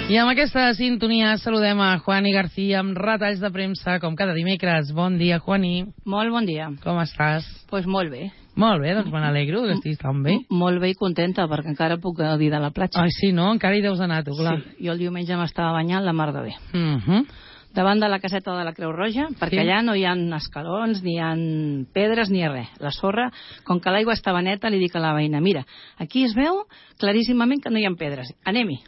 I amb aquesta sintonia saludem a Juani García amb retalls de premsa, com cada dimecres. Bon dia, Juani. Molt bon dia. Com estàs? Pues molt bé. Molt bé, doncs me n'alegro que estiguis tan bé. Molt bé i contenta, perquè encara puc gaudir de la platja. Ai, sí, no? Encara hi deus anar, tu, clar. Sí, jo el diumenge m'estava banyant la mar de bé. Uh-huh. Davant de la caseta de la Creu Roja, perquè allà no hi ha escalons, ni hi ha pedres, ni res. La sorra, com que l'aigua estava neta, li dic a la veïna, mira, aquí es veu claríssimament que no hi ha pedres. Anem-hi.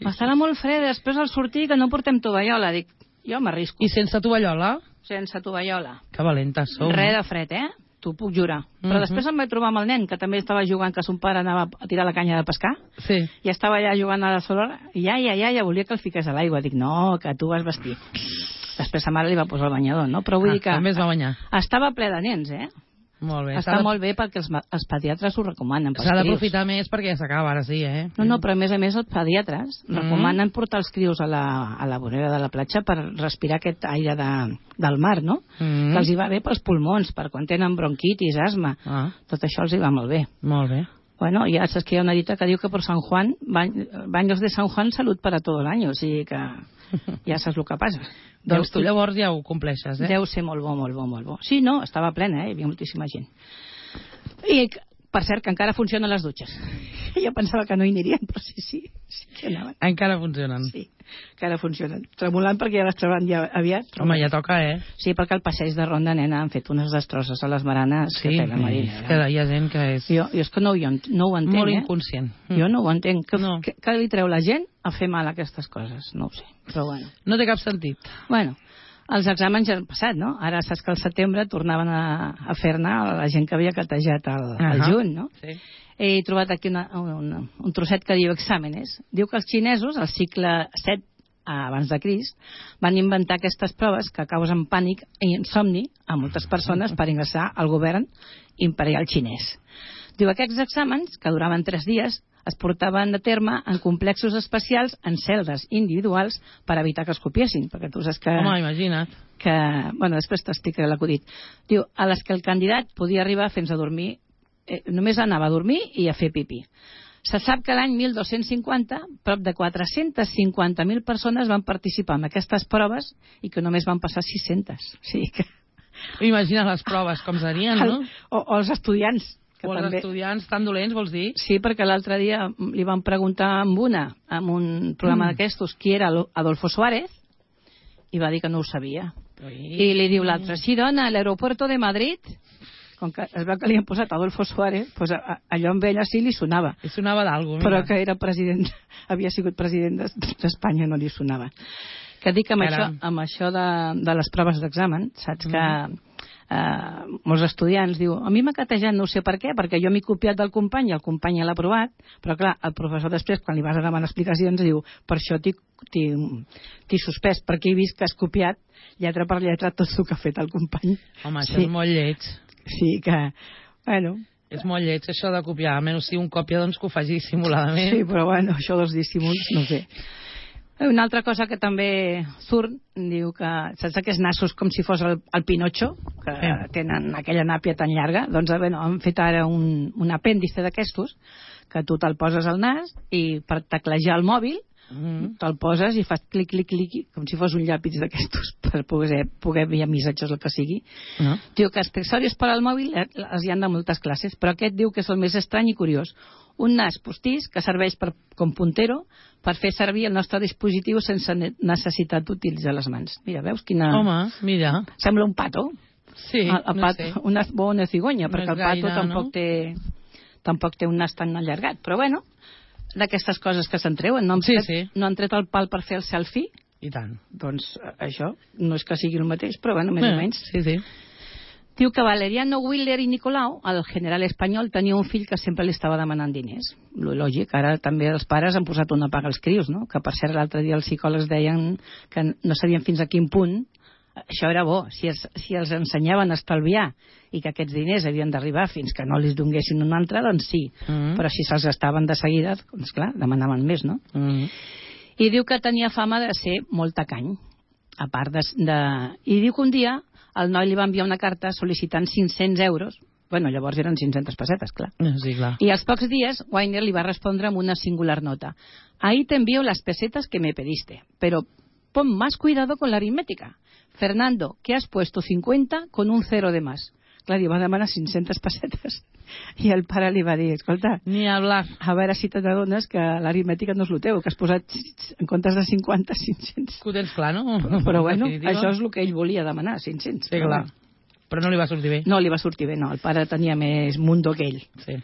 Estarà molt fred, després al sortir que no portem tovallola. Dic, jo m'arrisco. I sense tovallola? Sense tovallola. Que valentes sou. Res de fred, t'ho puc jurar. Però després em vaig trobar amb el nen, que també estava jugant, que son pare anava a tirar la canya de pescar, sí. I estava allà jugant a la sorra, i ja volia que el fiqués a l'aigua. Dic, no, que tu vas vestir. Després sa mare li va posar el banyador, no? Però vull dir que també es va banyar. Estava ple de nens, Molt bé. Està molt bé perquè els pediatres ho recomanen. S'ha d'aprofitar més perquè ja s'acaba, ara sí, No, però a més els pediatres recomanen portar els crios a la vorera de la platja per respirar aquest aire del mar, no? Que els hi va bé pels pulmons, per quan tenen bronquitis, asma. Tot això els hi va molt bé. Molt bé. Bueno, ja saps que hi ha una dita que diu que per Sant Juan, baños de San Juan, salud para todo el año, o sigui que ja saps el que passa. Doncs tu llavors ja ho compleixes, Deu ser molt bo, molt bo, molt bo. Sí, no, estava plena, hi havia moltíssima gent. I, per cert, que encara funcionen les dutxes. Jo pensava que no hi anirien, però sí que anaven. Encara funcionen? Sí, encara funcionen. Tremolant perquè ja les trauran ja aviat. Home, ja toca, Sí, perquè al passeig de Ronda, nena, han fet unes destrosses a les baranes. Sí, que hi ha gent que és... Jo és que no ho entenc, molt inconscient. Jo no ho entenc. Què li treu la gent a fer mal a aquestes coses? No ho sé, però bueno. No té cap sentit. Bueno, els exàmens ja han passat, no? Ara saps que al setembre tornaven a fer-ne la gent que havia catejat al juny, no? Sí. He trobat aquí un trosset que diu exàmenes. Diu que els xinesos, al segle VII abans de Crist, van inventar aquestes proves que causen pànic i insomni a moltes persones per ingressar al govern imperial xinès. Diu que aquests exàmens, que duraven 3 dies, es portaven a terme en complexos especials en celdes individuals per evitar que es copiessin, perquè tu saps que... Home, imagina't. Bueno, després t'explicaré l'acudit. Diu, a les que el candidat podia arribar fins a dormir, només anava a dormir i a fer pipí. Se sap que l'any 1250 prop de 450.000 persones van participar en aquestes proves i que només van passar 600. O sigui que... Imagina les proves, com serien, no? O els estudiants. O els estudiants tan dolents, vols dir? Sí, perquè l'altre dia li van preguntar amb un programa d'aquestos qui era Adolfo Suárez i va dir que no ho sabia. I li diu l'altre, sí, dona, a l'aeropuerto de Madrid... Com que es veu que li han posat Adolfo Suárez, doncs allò amb ell sí li sonava. Li sonava d'alguna cosa. Però que era president, havia sigut president d'Espanya, no li sonava. Que dic que amb això de les proves d'examen, saps que molts estudiants diu, a mi m'ha catejat no sé per què, perquè jo m'he copiat del company i el company ja l'ha aprovat, però clar, el professor després, quan li vas a demanar explicacions, diu, per això t'he suspès, perquè he vist que has copiat lletra per lletra tot el que ha fet el company. Home, això és molt lleig. Sí, que, bueno... És molt lleig, això de copiar. Almenys si un còpia, doncs que ho faci dissimuladament. Sí, però bueno, això dels dissimuls, no sé. Una altra cosa que també surt, diu que, saps aquests nassos com si fos el Pinocho, que tenen aquella nàpia tan llarga? Doncs, bueno, han fet ara un apèndice d'aquestos, que tu te'l poses al nas i per teclejar el mòbil te'l poses i fas clic, clic, clic, com si fos un llapis d'aquestos per poder enviar missatges, el que sigui. Diu que accessoris per al mòbil els hi han de moltes classes, però aquest diu que és el més estrany i curiós. Un nas postís que serveix com puntero per fer servir el nostre dispositiu sense necessitat d'utilitzar les mans. Mira, veus quina... Home, mira. Sembla un pato. Sí, no sé. Una bona cigonya, perquè el pato tampoc té un nas tan allargat. Però bueno, d'aquestes coses que se'n treuen. No han tret el pal per fer el selfie? I tant. Doncs això no és que sigui el mateix, però bueno, més o menys. Sí. Diu que Valeriano Willer i Nicolau, el general espanyol, tenia un fill que sempre li estava demanant diners. Lògic, ara també els pares han posat una paga als crios, no? Que per cert l'altre dia els psicòlegs deien que no sabien fins a quin punt això era bo, si els ensenyaven a estalviar i que aquests diners havien d'arribar fins que no els donguessin un altre, doncs sí, però si se'ls gastaven de seguida, doncs clar, demanaven més, no? I diu que tenia fama de ser molt tacany, a part de... I diu que un dia el noi li va enviar una carta sol·licitant 500 euros Bueno, llavors eren 500 pessetes, clar. Sí, clar. Y a los pocos días, Weiner le va a responder amb una singular nota. Ahí te envío las pesetas que me pediste, pero pon más cuidado con la aritmética. Fernando, que has puesto 50 con un 0 de más. Clar, li va demanar 500 pessetes. I el pare li va dir, escolta, Ni hablar. a veure si t'adones que l'aritmètica no és el teu, que has posat en comptes de 50, 500. Que ho tens clar, no? Però bueno, això és el que ell volia demanar, 500. Sí, clar. Però no li va sortir bé. No li va sortir bé, no. El pare tenia més mundo que ell. Sí.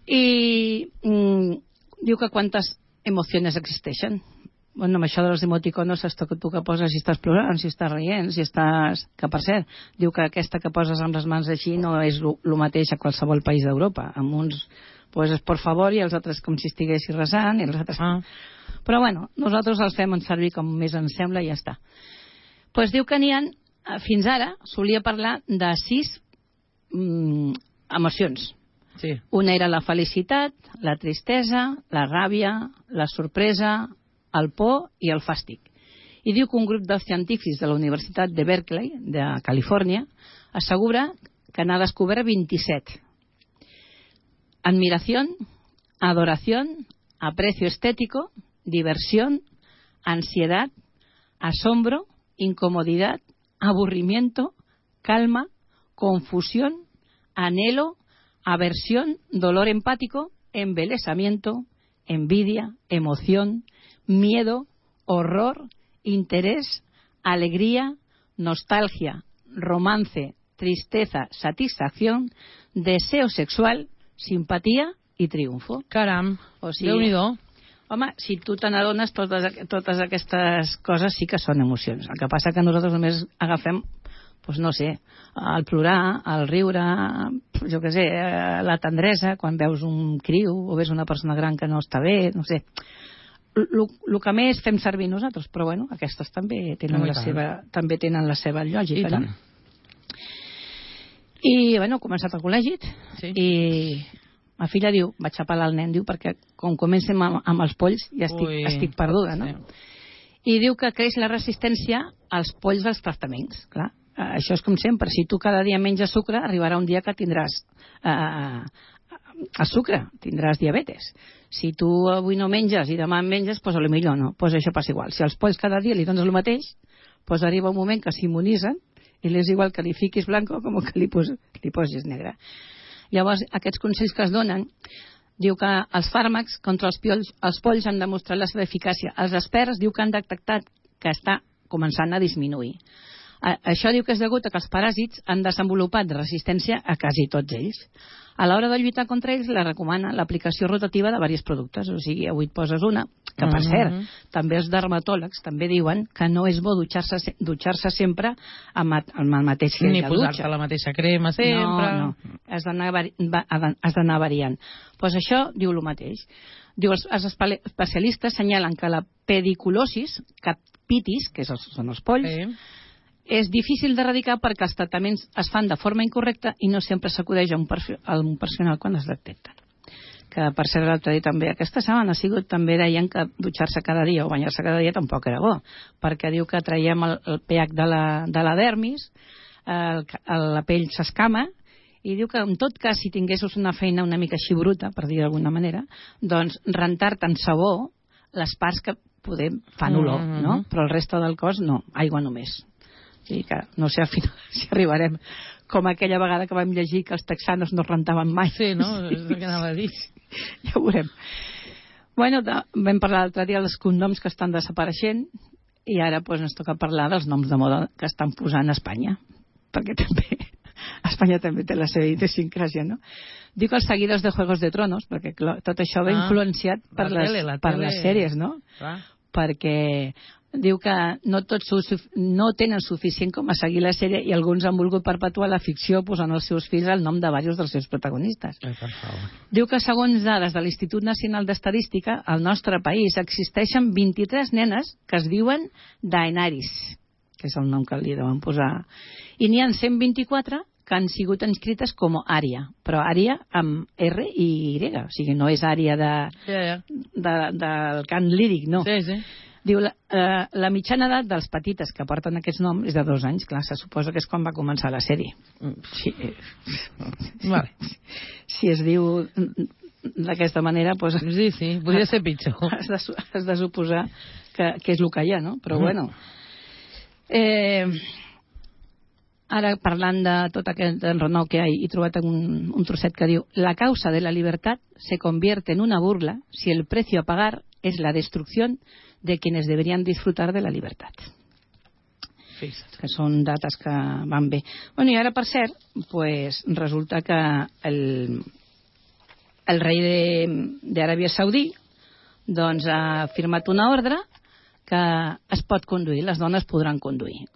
I diu que quantes emocions existeixen. Bueno, amb això de les emoticonos, esto que tu que poses si estàs plorant, si estàs rient, si estàs... Que, per cert, diu que aquesta que poses amb les mans així no és el mateix a qualsevol país d'Europa. Amb uns poses por favor i els altres com si estiguessis resant i els altres... Però bueno, nosaltres els fem servir com més ens sembla i ja està. Pues diu que n'hi ha, fins ara, solia parlar de 6 emocions. Sí. Una era la felicitat, la tristesa, la ràbia, la sorpresa, el por i el fàstic. I diu que un grup de científics de la Universitat de Berkeley, de Califòrnia, assegura que n'ha descobert 27. Admiración, adoración, aprecio estético, diversión, ansiedad, asombro, incomodidad, aburrimiento, calma, confusión, anhelo, aversión, dolor empático, embelesamiento, envidia, emoción, miedo, horror, interés, alegría, nostalgia, romance, tristeza, satisfacción, deseo sexual, simpatía i triomfo. Caram, o sigui, Déu-n'hi-do. Home, si tu te n'adones, totes aquestes coses sí que són emocions. El que passa que nosaltres només agafem, doncs no sé, el plorar, el riure, jo què sé, la tendresa, quan veus un criu o veus una persona gran que no està bé, no sé. El que més fem servir nosaltres, però bueno, aquestes també tenen, la seva lògica. No? I bueno, he començat al col·legi i ma filla diu, vaig a pelar el nen, diu, perquè com comencem amb els polls ja estic perduda, no? I diu que creix la resistència als polls dels tractaments, clar. Això és com sempre, si tu cada dia menges sucre, arribarà un dia que tindràs el sucre, tindràs diabetes. Si tu avui no menges i demà menges, doncs potser no, doncs això passa igual. Si als polls cada dia li dones el mateix, doncs arriba un moment que s'immunitzen i és igual que li fiquis blanco com que li posis negre. Llavors, aquests consells que es donen, diu que els fàrmacs contra els polls han demostrat la seva eficàcia. Els experts diu que han detectat que està començant a disminuir. Això diu que és degut a que els paràsits han desenvolupat resistència a quasi tots ells. A l'hora de lluitar contra ells, la recomana l'aplicació rotativa de diversos productes. O sigui, avui et poses una, que per cert, també els dermatòlegs també diuen que no és bo dutxar-se sempre amb el mateix gel de dutxa. Ni posar-te la mateixa crema sempre. No. Has d'anar variant. Doncs això diu el mateix. Diu, els especialistes senyalen que la pediculosis, capitis, que són els polls, és difícil d'erradicar perquè els tractaments es fan de forma incorrecta i no sempre s'acudeix a un professional quan es detecten. Que per cert l'altre dia també, aquesta setmana ha sigut, també deien que dutxar-se cada dia o banyar-se cada dia tampoc era bo, perquè diu que traiem el pH de la dermis, la pell s'escama, i diu que en tot cas si tinguessis una feina una mica així bruta, per dir d'alguna manera, doncs rentar-te en sabó les parts que poder fan olor, no? Però el reste del cos no, aigua només. I que no sé al final si arribarem com aquella vegada que vam llegir que els texanos no rentaven mai. Sí, no? És el que anava a dir. Ja ho veurem. Bueno, vam parlar l'altre dia dels cognoms que estan desapareixent i ara doncs, ens toca parlar dels noms de moda que estan posant a Espanya, perquè també Espanya també té la seva idiosincràsia, no? Diu que els seguidors de Juegos de Tronos, perquè tot això va influenciat per les sèries, no? Perquè diu que no tots no tenen suficient com a seguir la sèrie i alguns han volgut perpetuar la ficció posant als seus fills el nom de diversos dels seus protagonistes. Diu que segons dades de l'Institut Nacional d'Estadística, al nostre país existeixen 23 nenes que es diuen Daenerys, que és el nom que li deuen posar, i n'hi ha 124 que han sigut inscrites com Ària, però Ària amb R i Y, o sigui, no és Ària del cant líric, no. Sí. Diu, la mitjana edat dels petites que porten aquests noms és de 2 anys. Clar, se suposa que és quan va començar la sèrie. Sí. Vale. Si es diu d'aquesta manera, doncs... Sí, podria ser pitjor. Has de suposar que és el que hi ha, no? Però bueno... Ara, parlant de tot aquest enrenou que hi ha, he trobat un trosset que diu: la causa de la libertad se convierte en una burla si el precio a pagar es la destrucción de quienes deberían disfrutar de la libertad. Fixa't. Que són dates que van bé. Bueno, i ara, per cert, pues, resulta que el rei d'Aràbia Saudí doncs, ha firmat una ordre que es pot conduir, les dones podran conduir.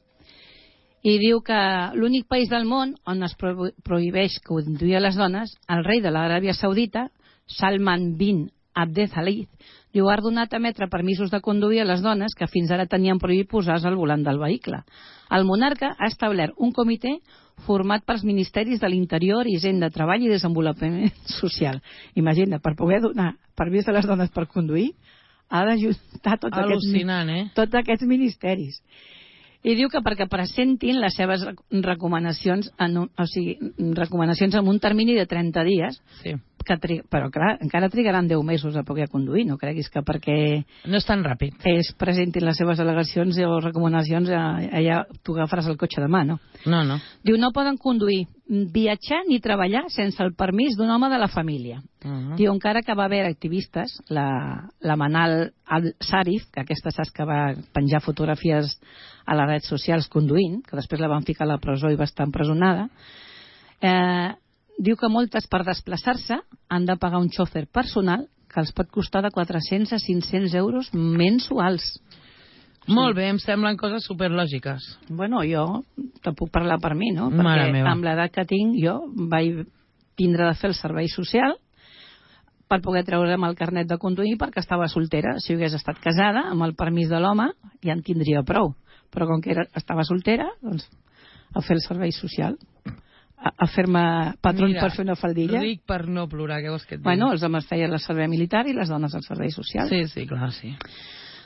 I diu que l'únic país del món on es prohibeix conduir a les dones, el rei de l'Aràbia Saudita, Salman bin Abdelaziz, diu, ha ordenat emetre permisos de conduir a les dones que fins ara tenien prohibit posar-se al volant del vehicle. El monarca ha establert un comitè format pels ministeris de l'Interior, Hisenda, Treball i Desenvolupament Social. Imagina, per poder donar permís a les dones per conduir, ha d'ajuntar tots aquests ministeris. I diu que perquè presentin les seves recomanacions recomanacions en un termini de 30 dies, sí. Però clar, encara trigaran 10 mesos a poder conduir, no creguis que perquè... No és tan ràpid. Ells presentin les seves al·legacions o recomanacions, allà tu agafaràs el cotxe demà, no? No. Diu, no poden conduir, viatjar ni treballar sense el permís d'un home de la família. Diu, encara que va haver activistes, la Manal al-Sarif, que aquesta saps que va penjar fotografies a les redes socials conduint, que després la van ficar a la presó i va estar empresonada, diu que moltes per desplaçar-se han de pagar un xòfer personal que els pot costar de 400 a 500 euros mensuals. Molt bé, em semblen coses superlògiques. Bueno, jo te puc parlar per mi, no? Perquè amb l'edat que tinc jo vaig tindre de fer el servei social per poder treure'm el carnet de conduir perquè estava soltera. Si hagués estat casada, amb el permís de l'home, ja en tindria prou. Però com que estava soltera, doncs a fer el servei social, a fer-me patró per fer una faldilla. Ric per no plorar, què vols que et digui? Bueno, els homes feien el servei militar i les dones el servei social. Sí, clar, sí.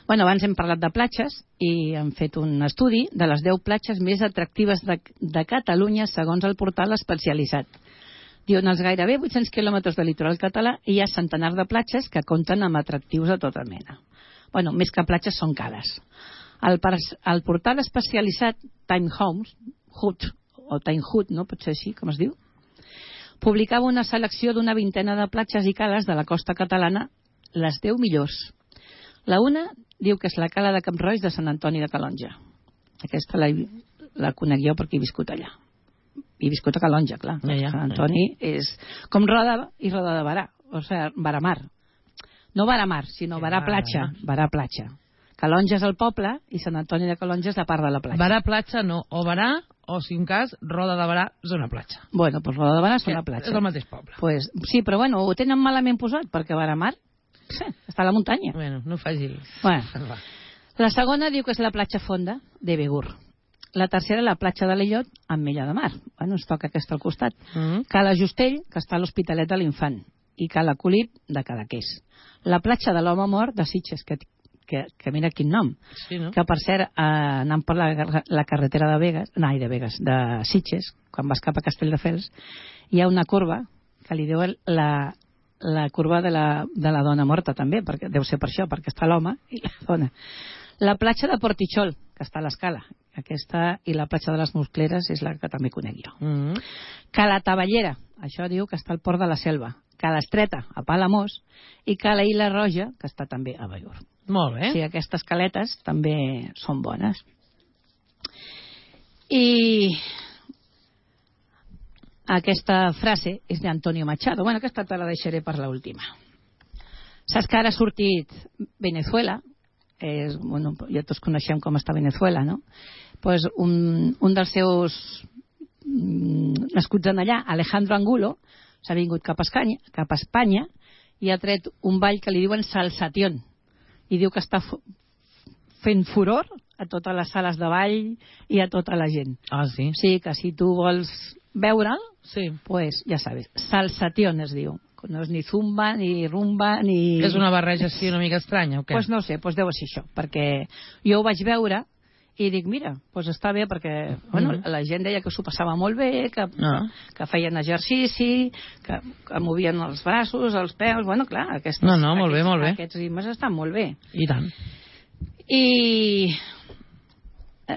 Bueno, abans hem parlat de platges i hem fet un estudi de les 10 platges més atractives de Catalunya segons el portal especialitzat. Diuen, als gairebé 800 quilòmetres de litoral català hi ha centenars de platges que compten amb atractius de tota mena. Bueno, més que platges són cales. El portal especialitzat Time Hood, o Time Hood, no? Pot ser així, com es diu? Publicava una selecció d'una vintena de platges i cales de la costa catalana, les 10 millors. La una diu que és la cala de Camp Roig de Sant Antoni de Calonja. Aquesta la conec jo perquè he viscut allà. He viscut a Calonja, clar. Sant Antoni és com Roda i Roda de Barà, o sigui, Varamar. No Varamar, sinó Barà Platja. Barà Platja. Calonja és el poble i Sant Antoni de Calonja és la part de la platja. Barà Platja no, o Barà, o si un cas, Roda de Barà és una platja. Bueno, doncs Roda de Barà és una platja. És el mateix poble. Pues, sí, però bueno, ho tenen malament posat, perquè Varamar està a la muntanya. Bueno, no facis... Bueno. La segona diu que és la platja fonda de Begur. La tercera, la platja de l'Illot, amb Mella de Mar. Bueno, ens toca aquesta al costat. Cala Justell, que està a l'Hospitalet de l'Infant. I Cala Colip, de Cadaqués. La platja de l'Home Mort, de Sitges, que mira quin nom. Sí, no? Que, per cert, anant per la carretera de Sitges, quan vas cap a Castelldefels, hi ha una curva que li diuen la curva de la dona morta, també, perquè deu ser per això, perquè està l'home i la dona. La platja de Portitxol, que està a l'Escala, aquesta, i la platja de les Muscleres és la que també conec jo. Cala Tavallera, això diu que està al Port de la Selva. Cala Estreta, a Palamós, i Cala Ila Roja, que està també a Ballur. Molt bé. Sí, aquestes caletes també són bones. I aquesta frase és d'Antonio Machado. Bueno, aquesta te la deixaré per l'última. Saps que ara ha sortit Venezuela? Bueno, ja tots coneixem com està Venezuela, no? Pues un dels seus nascuts en allà, Alejandro Angulo, s'ha vingut cap a Espanya i ha tret un ball que li diuen Salsation. I diu que està fent furor a totes les sales de ball i a tota la gent. Ah, sí? Sí, que si tu vols veure'l, sí, pues ja sabes, Salsation es diu. no és ni zumba, ni rumba, ni... És una barreja així una mica estranya, o què? Pues no sé, pues deu ser això, perquè jo ho vaig veure i dic, mira, pues està bé, perquè bueno, la gent deia que s'ho passava molt bé, que feien exercici, que movien els braços, els peus, bueno, clar, molt bé, molt bé. Aquests ritmes estan molt bé. I tant. I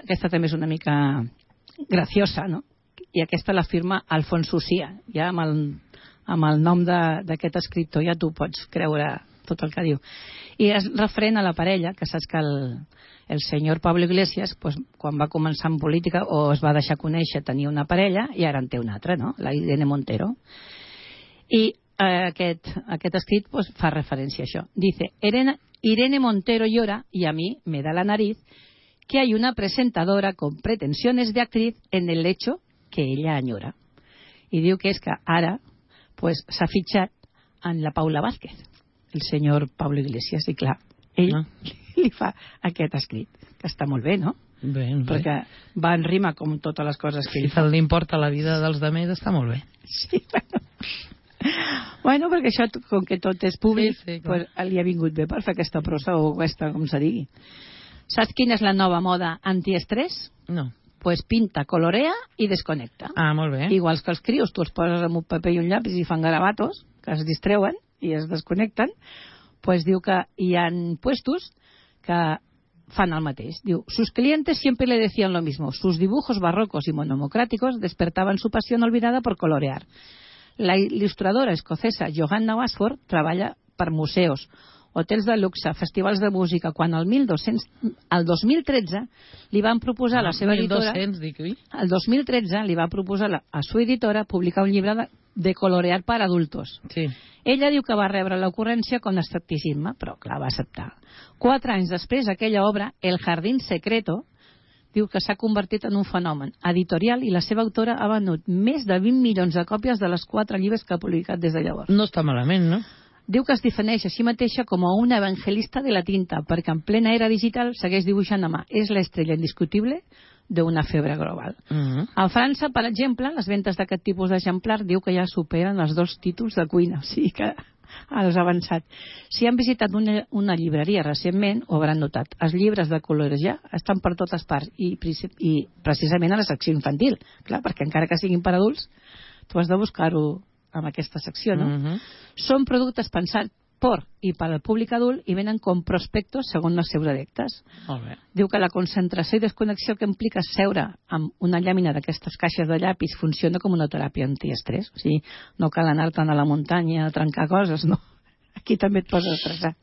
aquesta també és una mica graciosa, no? I aquesta la firma Alfonso Cia, ja amb el nom d'aquest escriptor ja tu pots creure tot el que diu. I és referent a la parella, que saps que el senyor Pablo Iglesias, pues, quan va començar en política o es va deixar conèixer, tenia una parella i ara en té una altra, no? La Irene Montero. I aquest escrit pues, fa referència a això. Dice, Irene Montero llora y a mí me da la nariz que hay una presentadora con pretensiones de actriz en el lecho que ella añora. I diu que és que ara pues, s'ha fitxat en la Paula Vázquez, el senyor Pablo Iglesias, i clar, ell li fa aquest escrit, que està molt bé, no? Bé. Perquè va en rima com totes les coses que ell fa. Si li importa la vida dels demés, està molt bé. Sí, bueno, perquè això, com que tot és públic, sí, pues, li ha vingut bé per fer aquesta prosa o aquesta, com se digui. Saps quina és la nova moda antiestrès? No. Pues pinta, colorea i desconnecta. Ah, molt bé. Igual que els crios, tu els poses amb un paper i un llapis i fan garabatos, que es distreuen i es desconnecten, pues diu que hi ha puestos que fan el mateix. Diu, sus clientes siempre le decían lo mismo. Sus dibujos barrocos y monocráticos despertaban su pasión olvidada por colorear. La il·lustradora escocesa Johanna Basford treballa per museus, hotels de luxe, festivals de música, quan el 2013 li van proposar a la seva editora... El 2013 li va proposar a su editora publicar un llibre de colorear per adultos. Sí. Ella diu que va rebre l'ocurrència con escepticisme, però clar, va acceptar. 4 anys després, aquella obra, El jardín secreto, diu que s'ha convertit en un fenomen editorial i la seva autora ha venut més de 20 milions de còpies de les 4 llibres que ha publicat des de llavors. No està malament, no? Diu que es defineix a si mateixa com a una evangelista de la tinta, perquè en plena era digital segueix dibuixant a mà. És l'estrella indiscutible d'una febre global. A França, per exemple, les ventes d'aquest tipus d'exemplar diu que ja superen els 2 títols de cuina, o sigui que has avançat. Si han visitat una llibreria recentment, ho hauran notat. Els llibres de colorejar estan per totes parts i precisament a la secció infantil. Clar, perquè encara que siguin per adults, tu has de buscar-ho en aquesta secció, no? Són productes pensats per i per al públic adult i venen com prospectos segons els seus adeptes. Molt bé. Diu que la concentració i desconnexió que implica seure amb una llàmina d'aquestes caixes de llapis funciona com una teràpia antiestrès. O sigui, no cal anar-te'n a la muntanya a trencar coses, no. Aquí també et poses a estressar.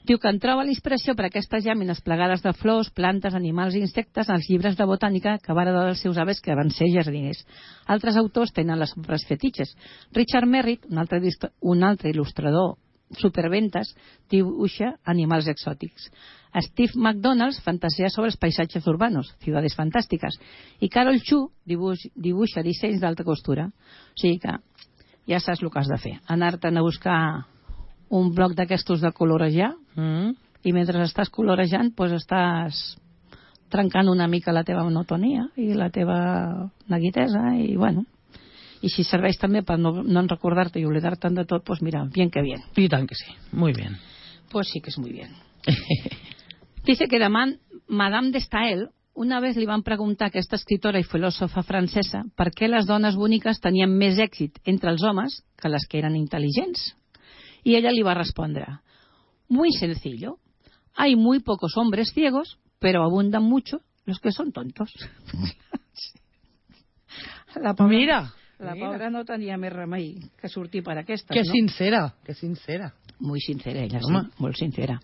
Diu que en troba la inspiració per aquestes llàmines plegades de flors, plantes, animals i insectes als llibres de botànica que va heredar dels seus avis que van ser jardiners. Altres autors tenen les obres fetitxes. Richard Merritt, un altre il·lustrador superventes, dibuixa animals exòtics. Steve McDonald fantasia sobre els paisatges urbanos, ciudades fantàstiques, i Carol Chu dibuixa dissenys d'alta costura. O sigui que ja saps el que has de fer, anar-te'n a buscar un bloc d'aquestos de colorejar i mentre estàs colorejant pues estàs trencant una mica la teva monotonia i la teva neguitesa i bueno, y si serveix també per no recordar-te i oblidar-te'n de tot, pues mira, bien que bien. Y tan que sí, muy bien. Pues sí que es muy bien. Dice que Madame de Staël una vez li van preguntar a aquesta escritora i filòsofa francesa per què les dones boniques tenien més èxit entre els homes que les que eren intel·ligents. Y ella le iba a responder, muy sencillo, hay muy pocos hombres ciegos, pero abundan mucho los que son tontos. La pobra no tenia més remei que sortir per aquestes, que no? Que sincera. Muy sincera ella, sí, molt sincera.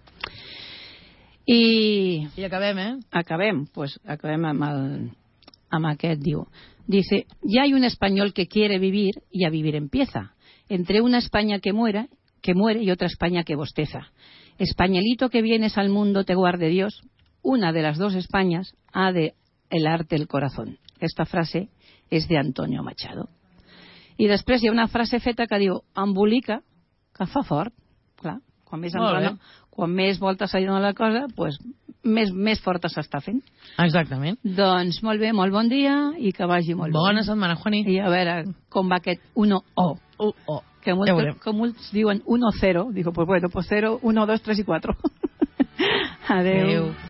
I acabem, Acabem amb aquest, diu. Dice, ya hay un español que quiere vivir y a vivir empieza. Entre una España que muere y otra España que bosteza. Españolito que vienes al mundo te guarde Dios. Una de las dos Españas ha de helarte el corazón. Esta frase és de Antonio Machado. I després hi ha una frase feta que diu embolica, que fa fort. Clar, quan més voltes se li dona la cosa, pues més forta s'està fent. Exactament. Doncs molt bé, molt bon dia i que vagi molt bé. Bona setmana, Juani. I a veure com va aquest 1-O. Que com molts diuen 1-0. Digo, pues bueno, pues 0, 1, 2, 3 y 4. Adeu.